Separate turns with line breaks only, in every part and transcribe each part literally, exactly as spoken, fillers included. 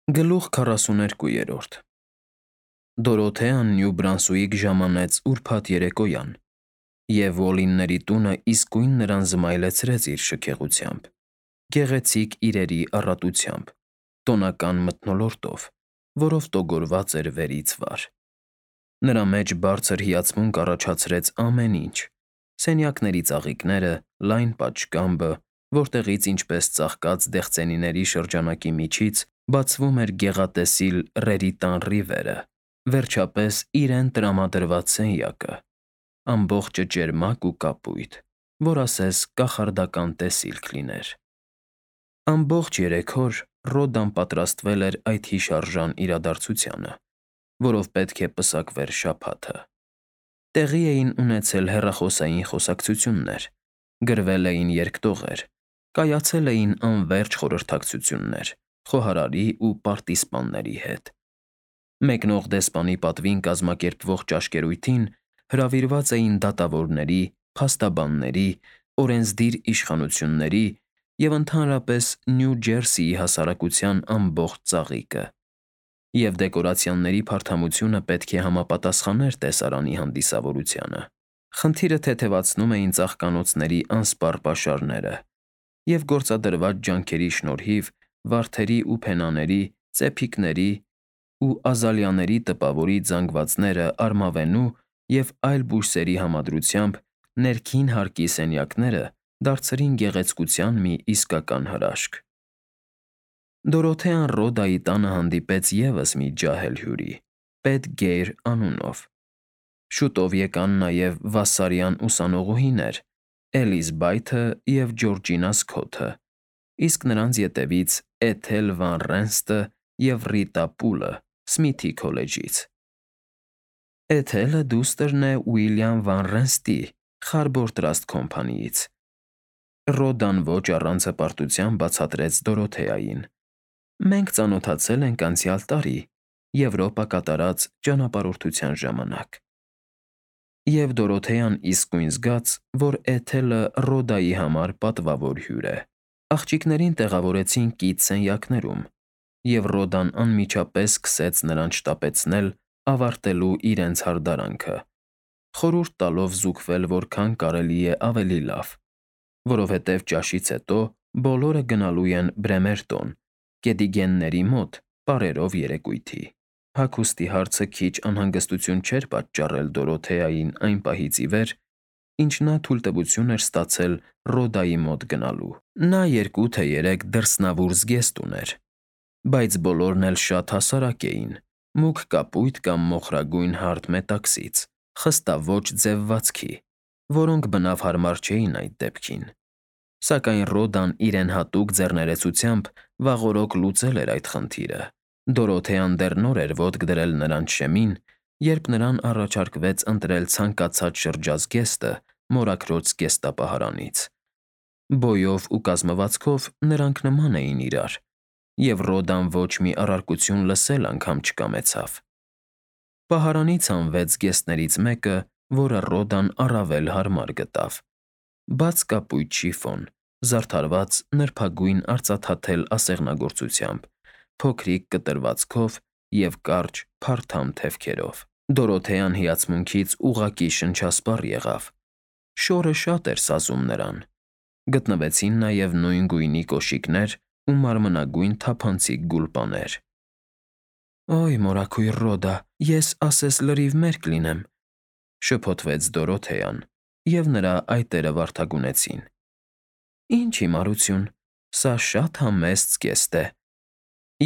Գլուխ քառասուներկուերորդ Դորոթեան Նյու Բրանսուիկ ժամանեց ուրբաթ երեկոյան, և Ոլինների տունը իսկույն նրան զմայլեցրեց իր շքեղությամբ, գեղեցիկ իրերի առատությամբ, տոնական մթնոլորտով, որով տոգորված էր վերից վար։ Նրա մեջ բարձր հիացմունք առաջացրեց ամեն ինչ՝ սենյակների ծաղիկները, լայն պատշգամբը, որտեղից ինչպես ծաղկած դեղցենիների շրջանակի միջից բացվում էր գեղատեսիլ Ռերիտան ռիվերը, վերջապես իրեն տրամադրված սենյակը, ամբողջը ճերմակ ու կապույտ, որ ասես կախարդական տեսիլք լիներ։ Ամբողջ երեք օր Ռոդան պատրաստվել էր այդ հիշարժան իրադարձությանը, որով պետք է պսակվեր շաբաթը։ Տեղի էին ունեցել հեռախոսային խոսակցություններ, գրվել էին երկտողեր, կայացել էին անվերջ խորհրդակցություններ խոհարարի ու պարտիզպանների հետ։ Մեկնող դեսպանի պատվին կազմակերպվող ճաշկերույթին հրավիրված էին դատավորների, փաստաբանների, օրենսդիր իշխանությունների և ընդհանրապես Նյու Ջերսիի հասարակության ամբողջ ծաղիկը, և դեկորացիաների փարթամությունը պետք է համապատասխաներ տեսարանի հանդիսավորությանը։ Խնդիրը թեթևացնում էին ծաղկանոցների անսպառ պաշարները, և գործադրված ջանքերի շնորհիվ վարդերի ու փենաների, ծեփիկների ու ազալիաների տպավորիչ զանգվածները արմավենու և այլ բույսերի համադրությամբ ներքին հարկի սենյակները դարձրին գեղեցկության մի իսկական հրաշք։ Դորոթեան Ռոդայի տանը հանդիպեց ևս մի ջահել հյուրի՝ Պետգեյր անունով։ Շուտով եկան նաև վասսարյան ուսանողուհիներ՝ Էլիզբայթը և Ջորջինա Սքոթը, իսկ նրանց ետևից Էթել Վան Ռենստը և Ռիտա Պուլը Սմիթի քոլեջից։ Էթելը դուստր է Ուիլյամ Վան Ռենստի Խարբոր Տրաստ Քոմփանիից։ Ռոդան ոչ առանց հպարտության բացատրեց Դորոթեային. Մենք ծանոթացել ենք անցյալ տարի՝ Եվրոպա կատարած ճանապարհորդության ժամանակ։ Եվ Դորոթեան իսկույն զգաց, որ Էթելը Ռոդայի համար պատվավոր հյուր է։ Աղջիկներին տեղավորեցին կից սենյակներում, և Ռոդան անմիջապես սկսեց նրանց շտապեցնել ավարտելու իրենց հարդարանքը, խորհուրդ տալով զուգվել որքան կարելի է ավելի լավ, որովհետև ճաշից հետո բոլորը գնալու են Բրեմերտոն՝ Կեդիգենների մոտ պարերով երեկույթի։ Հագուստի հարցը քիչ անհանգստություն չէր պատճառել Դորոթեային այն պահից ի վեր, ինչ նա թույլտվություն էր ստացել Ռոդայի մոտ գնալու։ Նա երկու թե երեք դրսնավուր զգեստ ուներ, բայց բոլորն էլ շատ հասարակ էին, մուգ կապույտ կամ մոխրագույն հարթ մետաքսից, խստաոճ ձևվածքի, որոնք բնավ հարմար չէին այդ դեպքին։ Սակայն Ռոդան իրեն հատուկ ձեռներեցությամբ վաղօրոք լուծել էր այդ խնդիրը։ Դորոթեան դեռ նոր էր ոտք դրել նրանց շեմին, երբ նրան առաջարկվեց ընտրել ցանկացած շրջազգեստը մորաքրոջ զգեստապահարանից։ Բոյով ու կազմվածքով նրանք նման էին իրար, և Ռոդան ոչ մի առարկություն լսել անգամ չկամեցավ։ Պահարանից հանվեց զգեստներից մեկը, որը Ռոդան առավել հարմար գտավ՝ բաց կապույտ շիֆոն, զարդարված նրբագույն արծաթաթել ասեղնագործությամբ, փոքրիկ կտրվածքով և կարճ, փարթամ թևքերով։ Դորոթեան հիացմունքից ուղղակի շնչասպառ եղավ։ Շորը շատ էր սազում նրան։ Գտնվեցին նաև նույն գույնի կոշիկներ ու մարմնագույն թափանցիկ գուլպաներ։ «Օյ մորաքույր Ռոդա, ես ասես լրիվ մերկ լինեմ», ֊ շփոթվեց Դորոթեան, և նրա այտերը վարդագունեցին։ «Ինչ հիմարություն, սա շատ համեստ զգեստ է,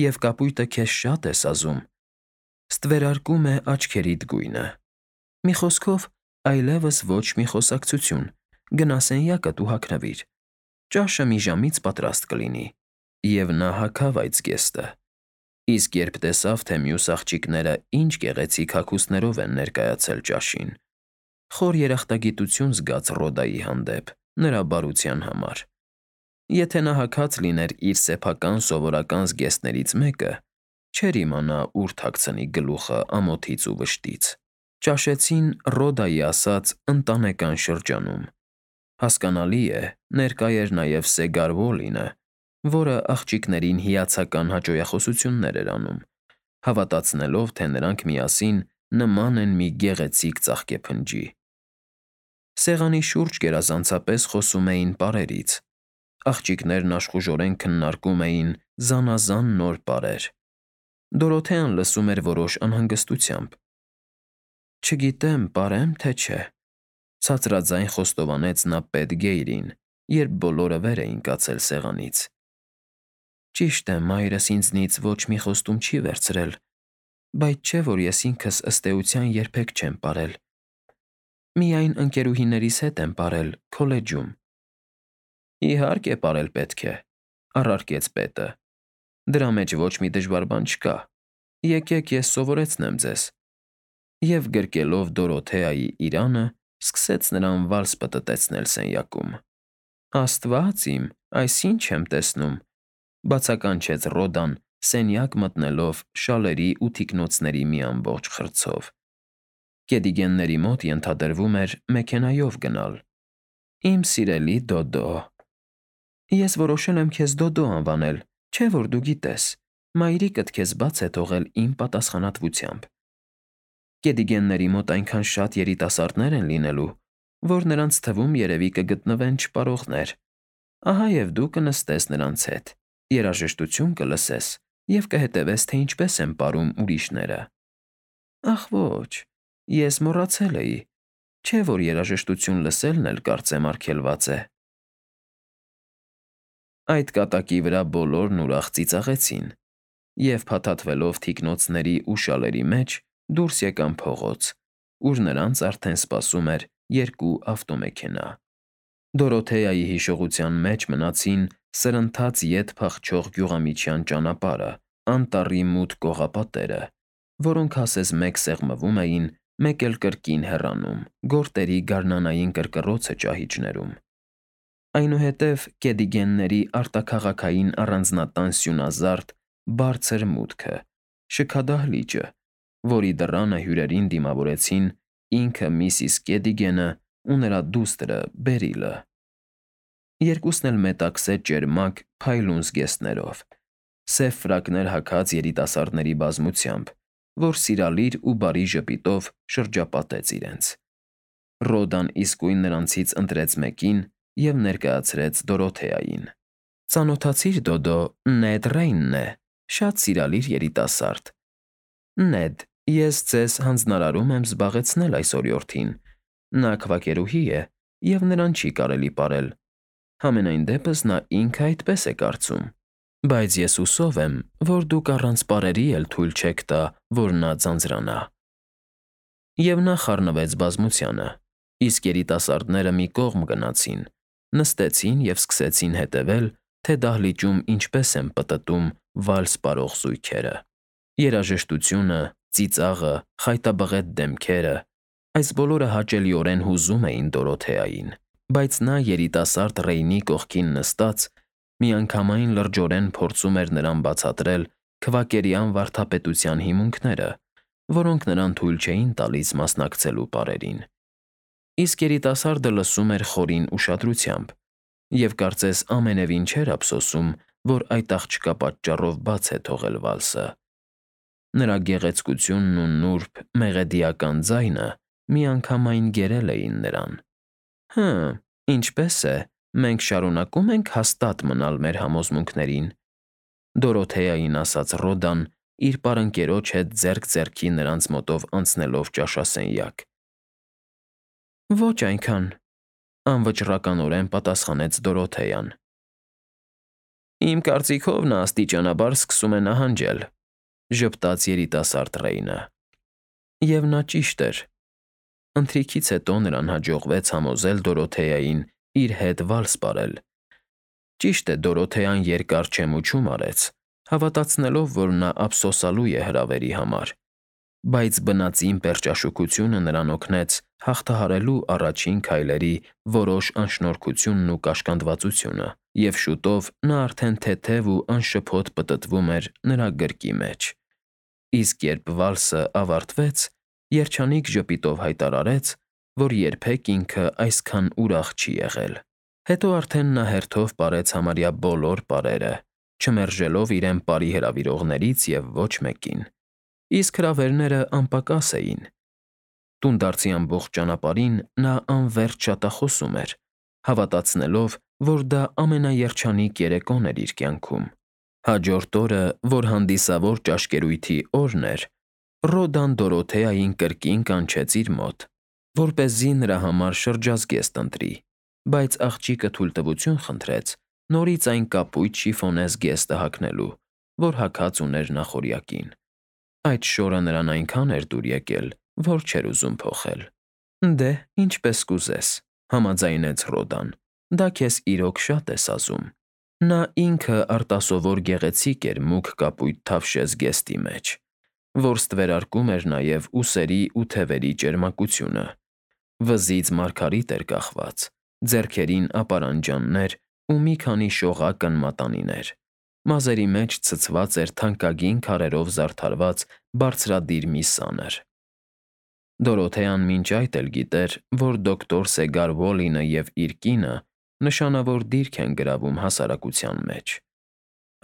և կապույտը քեզ շատ է սազում, ստվերարկում է աչքերիդ գույնը։ Մի խոսքով, այլևս ոչ մի խոսակցություն, գնա սենյակդ ու հագնվիր, ճաշը մի ժամից պատրաստ կլինի»։ Եվ նա հագավ այդ զգեստը, իսկ երբ տեսավ, թե մյուս աղջիկները ինչ գեղեցիկ հագուստներով են ներկայացել ճաշին, խոր երախտագիտություն զգաց Ռոդայի հանդեպ, նրա բարության համար։ Եթե նա հագած լիներ իր սեփական սովորական զգեստներից մեկը, չէր իմանա ուր թաքցնի գլուխը ամոթից ու վշտից։ Ճաշեցին Ռոդայի ասած ընտանեկան շրջանում։ Հասկանալի է, ներկա էր նաև Սեգար Ուոլինը, որը աղջիկներին հիացական հաճոյախոսություններ էր անում, հավատացնելով, թե նրանք միասին նման են մի գեղեցիկ ծաղկեփնջի։ Սեղանի շուրջ գերազանցապես խոսում էին պարերից։ Աղջիկներն աշխուժորեն քննարկում էին զանազան նոր պարեր։ Դորոթեան լսում էր որոշ անհանգստությամբ։ Չգիտեմ, պարե՞մ, թե չէ, ցածրաձայն խոստովանեց նա Պետգեյրին, երբ բոլորը վեր էին կացել սեղանից։ Ճիշտ է, մայրս ինձնից ոչ մի խոստում չի վերցրել, բայց չէ, որ ես ինքս ըստ էության երբեք չեմ պարել։ Միայն ընկերուհիներիս հետ եմ պարել քոլեջում։ Իհարկե, պարել պետք է, առարկեց պետը։ Դրա մեջ ոչ մի դժվար բան չկա։ Եկեք ես սովորեցնեմ ձեզ։ Եվ գրկելով Դորոթեայի իրանը, սկսեց նրան վալս պտտեցնել սենյակում։ Աստված իմ, այս ինչ եմ տեսնում, բացականչեց Ռոդան, սենյակ մտնելով շալերի ու թիկնոցների մի ամբողջ խրձով։ Գեդիգենների մոտ ենթադրվում էր մեքենայով գնալ։ Իմ սիրելի Դոդո։ Ես որոշել եմ քեզ Դոդո անվանել, չէ՞ որ դու գիտես, մայրիկդ քեզ բաց է թողել իմ պատասխանատվությամբ։ Գեդիգենների մոտ այնքան շատ երիտասարդներ են լինելու, որ նրանց թվում երևի կգտնվեն չպարողներ։ Ահա և դու կնստես նրանց հետ, երաժշտություն կլսես և կհետևես, թե ինչպես են պարում ուրիշները։ Ախ ոչ, ես մոռացել էի, չէ՞ որ երաժշտություն լսելն էլ կարծեմ արգելված է։ Այդ կատակի վրա բոլորն ուրախ ծիծաղեցին և, փաթաթվելով թիկնոցների ու շալերի մեջ, դուրս եկան փողոց, ուր նրանց արդեն սպասում էր երկու ավտոմեքենա։ Դորոթեայի հիշողության մեջ մնացին սրընթաց ետ փախչող գյուղամիջյան ճանապարհը, անտառի մութ կողապատերը, որոնք ասես մեկ սեղմվում էին, մեկ էլ կրկին հեռանում, գորտերի գարնանային կռկռոցը ճահիճներում։ Այնուհետև Գեդիգենների արտաքաղաքային առանձնատան սյունազարդ, բարձր մուտքը, շքադահլիճը, որի դռանը հյուրերին դիմավորեցին ինքը միսիս Գեդիգենը ու նրա դուստրը Բերիլը։ Երկուսն էլ մետաքսե ճերմակ փայլուն զգեստներով, սև ֆրակներ հագած երիտասարդների բազմությամբ, որ սիրալիր ու բարի ժպիտով շրջապատեց իրենց։ Ռոդան իսկույն նրանցից ընտրեց մեկին և ներկայացրեց Դորոթեային։ Ծանոթացի՞ր, Դոդո, Նեդ Ռեյնն է, շատ սիրալիր երիտասարդ։ Նեդ, ես ձեզ հանձնարարում եմ զբաղեցնել այս օրիորդին։ Նա քվակերուհի է, և նրան չի կարելի պարել։ Համենայն դեպս նա ինքը այդպես է կարծում, բայց ես հուսով եմ, որ դուք առանց պարերի էլ թույլ չեք տա, որ նա ձանձրանա։ Եվ նա խառնվեց բազմությանը, իսկ երիտասարդները մի կողմ գնացին, նստեցին և սկսեցին հետևել, թե դահլիճում ինչպես են պտտում վալս պարող զույգերը։ Երաժշտությունը, ծիծաղը, խայտաբղետ դեմքերը, այս բոլորը հաճելիորեն հուզում էին Դորոթեային, բայց նա երիտասարդ Ռեյնի կողքին նստած, միանգամայն լրջորեն փորձում էր նրան բացատրել քվակերյան վարդապետության հիմունքները, որոնք նրան թույլ չէին տալիս մասնակցելու պարերին։ Իսկ երիտասարդը լսում էր խորին ուշադրությամբ և կարծես ամենևին չէր ափսոսում, որ այդ աղջկա պատճառով բաց է թողել վալսը։ Նրա գեղեցկությունն ու նուրբ, մեղեդիական ձայնը միանգամայն գերել էին նրան։ Հը, ինչպե՞ս է, մենք շարունակո՞ւմ ենք հաստատ մնալ մեր համոզմունքներին, Դորոթեային ասաց Ռոդան, իր պարընկերոջ հետ ձեռք ձեռքի նրանց մոտով անցնելով ճաշասենյակ։ Ոչ այնքան, անվճռականորեն պատասխանեց Դորոթեան։ Իմ կարծիքով նա աստիճանաբար սկսում է նահանջել, ժպտաց երիտասարդ Ռեյնը։ Եվ նա ճիշտ էր։ Ընթրիքից հետո նրան հաջողվեց համոզել Դորոթեային իր հետ վալս պարել։ Ճիշտ է, Դորոթեան երկար չեմուչում արեց, հավատացնելով, որ նա ափսոսալու է հրավերի համար, բայց բնածին պերճաշուքությունը նրան օգնեց հաղթահարելու առաջին քայլերի որոշ անշնորհքությունն ու կաշկանդվածությունը, և շուտով նա արդեն թեթև ու անշփոթ պտտվում էր նրա գրկի մեջ։ Իսկ երբ վալսը ավարտվեց, երջանիկ ժպիտով հայտարարեց, որ երբեք ինքը այսքան ուրախ չի եղել։ Հետո արդեն նա հերթով պարեց համարյա բոլոր պարերը, չմերժելով իրեն պարի հրավիրողներից և ոչ մեկին, իսկ հրավերները անպակաս էին։ Տունդարձի ամբողջ ճանապարհին նա անվերջ շատախոսում էր, հավատացնելով, որ դա ամենաերջանիկ երեկոն էր իր կյանքում։ Հաջորդ օրը, որ հանդիսավոր ճաշկերույթի օրն էր, Ռոդան Դորոթեային կրկին կանչեց իր մոտ, որպեսզի նրա համար շրջազգեստ ընտրի, բայց աղջիկը թույլտվություն խնդրեց նորից այն կապույտ շիֆոնե զգեստը հագնելու, որ հագած ուներ նախօրյակին։ Այդ շորը նրան այնքան էր դուր եկել, որ չէր ուզում փոխել։ Դե, ինչպես կուզես, համաձայնեց Ռոդան, դա քեզ իրոք շատ է սազում։ Նա ինքը արտասովոր գեղեցիկ էր մուգ կապույտ թավշե զգեստի մեջ, որ ստվերարկում էր նաև ուսերի ու թևերի ճերմակությունը։ Վզից մարգարիտ էր կախված, ձեռքերին ապարանջաններ ու մի քանի շողակն մատանիներ, մազերի մեջ ցցված էր թանկագին քարերով զարդարված բարձրադիր մի սանր։ Դորոթեան մինչ այդ էլ գիտեր, որ դոկտոր Սեգար Ուոլինը և իր կինը նշանավոր դիրք են գրավում հասարակության մեջ։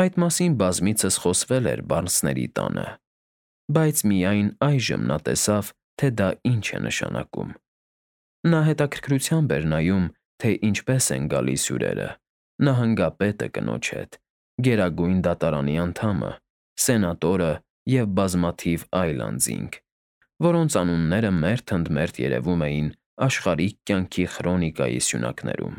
Այդ մասին բազմիցս խոսվել էր Բարնսների տանը, բայց միայն այժմ նա տեսավ, թե դա ինչ է նշանակում։ Նա հետաքրքրությամբ էր նայում, թե ինչպես են գալիս հյուրերը՝ նահանգապետը կնոջ հետ, Գերագույն դատարանի անդամը, սենատորը և բազմաթիվ այլ անձինք, որոնց անունները մերթ ընդ մերթ երևում էին աշխարհիկ կյանքի խրոնիկայի սյունակներում։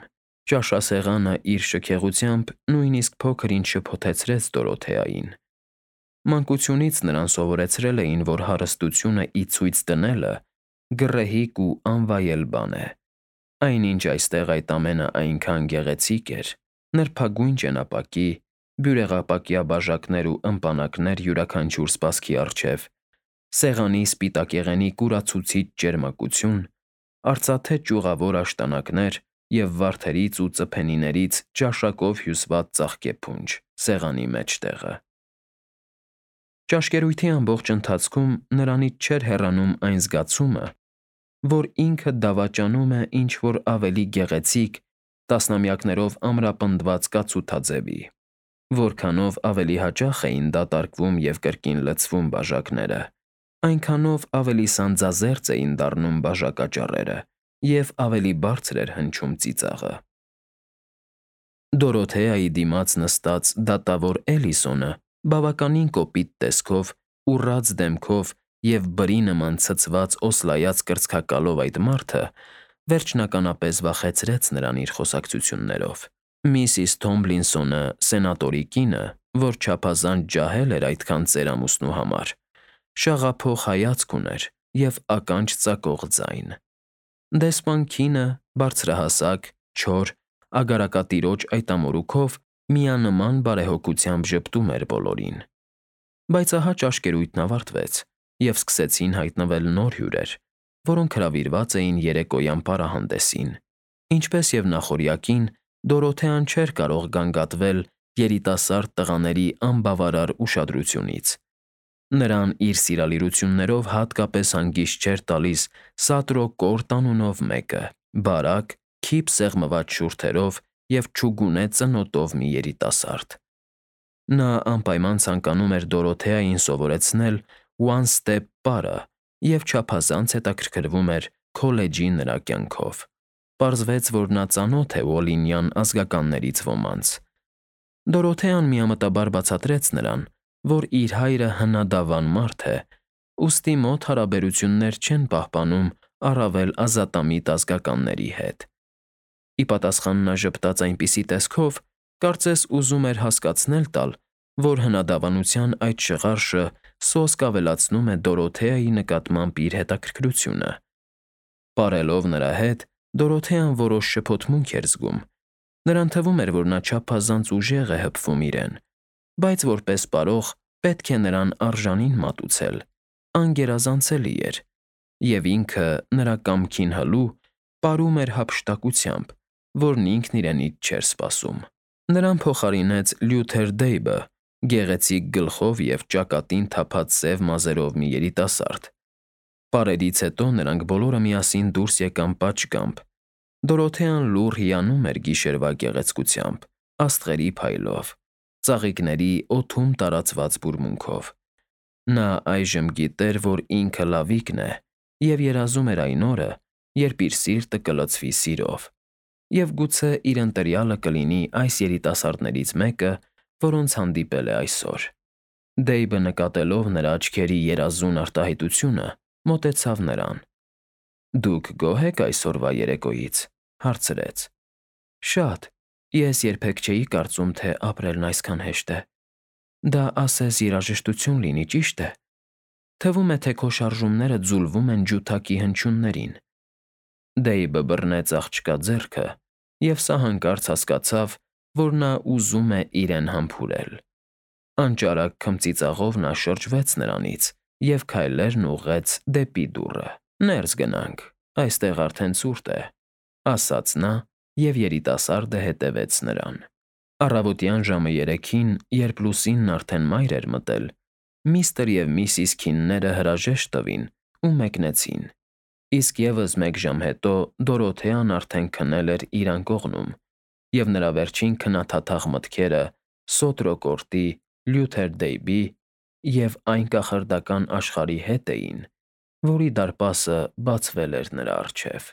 Ճաշասեղանը իր շքեղությամբ նույնիսկ փոքր-ինչ շփոթեցրեց Դորոթեային։ Մանկությունից նրան սովորեցրել էին, որ հարստությունը ի ցույց դնելը գռեհիկ ու անվայել բան է։ Այնինչ այստեղ այդ ամենը այնքան գեղեցիկ էր՝ նրբագույն ճենապակի, բյուրեղապակյա բաժակներ ու ըմպանակներ յուրաքանչյուր սպասքի առջև, սեղանի սպիտակեղենի կուրացուցիչ ճերմակություն, արծաթե ճյուղավոր աշտանակներ և վարդերից ու ծփենիներից ճաշակով հյուսված ծաղկեփունջ սեղանի մեջտեղը։ Ճաշկերույթի ամբողջ ընթացքում նրանից չէր հեռանում այն զգացումը, որ ինքը դավաճանում է ինչ֊որ ավելի գեղեցիկ, տասնամյակներով ամրապնդված կացութաձևի։ Որքանով ավելի հաճախ էին դատարկվում և կրկին լցվում բաժակները, այնքանով ավելի սանձազերծ էին դառնում բաժակաճառերը և ավելի բարձր էր հնչում ծիծաղը։ Դորոթեայի դիմաց նստած դատավոր Էլիսոնը բավականին կոպիտ տեսքով, ուռած դեմքով և բրի նման ցցված օսլայած կրծքակալով այդ մարդը վերջնականապես վախեցրեց նրան իր խոսակցություններով։ Միսիս Թոմլինսոնը, սենատորի կինը, որ չափազանց ջահել էր այդքան ծերամուսնու համար, շաղափոխ հայացք ուներ և ականջ ծակող ձայն։ Դեսպան Քինը բարձրահասակ, չոր, ագարակատիրոջ այդ ամորուքով միանման բարեհոգությամբ ժպտում էր բոլորին։ Բայց ահա ճաշկերույթն ավարտվեց, և սկսեցին հայտնվել նոր հյուրեր, որոնք հրավիրված էին երեկոյան պարահանդեսին։ Ինչպես և նախօրյակին, Դորոթեան չէր կարող գանգատվել երիտասարդ տղաների անբավարար ուշադրությունից։ Նրան իր սիրալիրություններով հատկապես հանգիստ չէր տալիս Սատրո Կորտ անունով մեկը՝ բարակ, քիփ սեղմված շուրթերով և չուգունե ծնոտով մի երիտասարդ։ Նա անպայման ցանկանում էր Դորոթեային սովորեցնել «one step» պարը և չափազանց հետաքրքրվում էր քոլեջի նրա կյանքով։ Պարզվեց, որ նա ծանոթ է Ուոլինյան ազգականներից ոմանց։ Դորոթեան միամտաբար բացատրեց նրան, որ իր հայրը հնադավան մարդ է, ուստի մոտ հարաբերություններ չեն պահպանում առավել ազատամիտ ազգականների հետ։ Ի պատասխան նա ժպտաց այնպիսի տեսքով, կարծես ուզում էր հասկացնել տալ, որ հնադավանության այդ շղարշը սոսկ ավելացնում է Դորոթեայի նկատմամբ իր հետաքրքրությունը։ Պարելով նրա հետ՝ Դորոթեան որոշ շփոթմունք էր զգում։ Նրան թվում էր, որ նա չափազանց ուժեղ է հպվում իրեն, բայց որպես պարող պետք է նրան արժանին մատուցել, անգերազանցելի էր, և ինքը, նրա կամքին հլու, պարում էր հափշտակությամբ, որն ինքն իրենից չէր սպասում։ Նրան փոխարինեց Լյութեր Դեյբը, գեղեցիկ գլխով և ճակատին թափած սև մազերով մի երիտասարդ։ Պարերից հետո նրանք բոլորը միասին դուրս եկան պատշգամբ, Դորոթեան լուռ հիանում էր գիշերվա գեղեցկությամբ, աստղերի փայլով, ծաղիկների օդում տարածված բուրմունքով։ Նա այժմ գիտեր, որ ինքը լավիկն է, և երազում էր այն օրը, երբ իր սիրտը կլցվի սիրով, և գուցե իր ընտրյալը կլինի այս երիտասարդներից մեկը, որոնց հանդիպել է այսօր։ Դեյբը, նկատելով նրա աչքերի երազուն արտահայտությունը, մոտեցավ նրան։ ֊ Դուք գոհ եք այսօրվա երեկոյից, ֊ հարցրեց։ ֊ Շատ, ես երբեք չէի կարծում, թե ապրելն այսքան հեշտ է։ Դա ասես երաժշտություն լինի, ճիշտ է։ Թվում է, թե քո շարժումները ձուլվում են ջութակի հնչյուններին։ Դեյբը բռնեց աղջկա ձեռքը, և սա հանկարծ հասկացավ, որ նա ուզում է իրեն համբուրել։ Անճարակ քմծիծաղով նա շրջվեց նրանից և քայլերն ուղղեց դեպի դուռը։ ֊ Ներս գնանք, այստեղ արդեն ցուրտ է, ֊ ասաց նա, և երիտասարդը հետևեց նրան։ Առավոտյան ժամը երեքին, երբ լուսինն արդեն մայր էր մտել, միստր և միսիս Քինները հրաժեշտ տվին ու մեկնեցին, իսկ ևս մեկ ժամ հետո Դորոթեան արդեն քնել էր իր անկողնում, և նրա վերջին քննադատաղ մտքերը Սոտրոկորտի, Լյութեր Դեյբի և այն կախարդական աշխարհի հետ էին, որի դարպասը բացվել էր նրա առջև։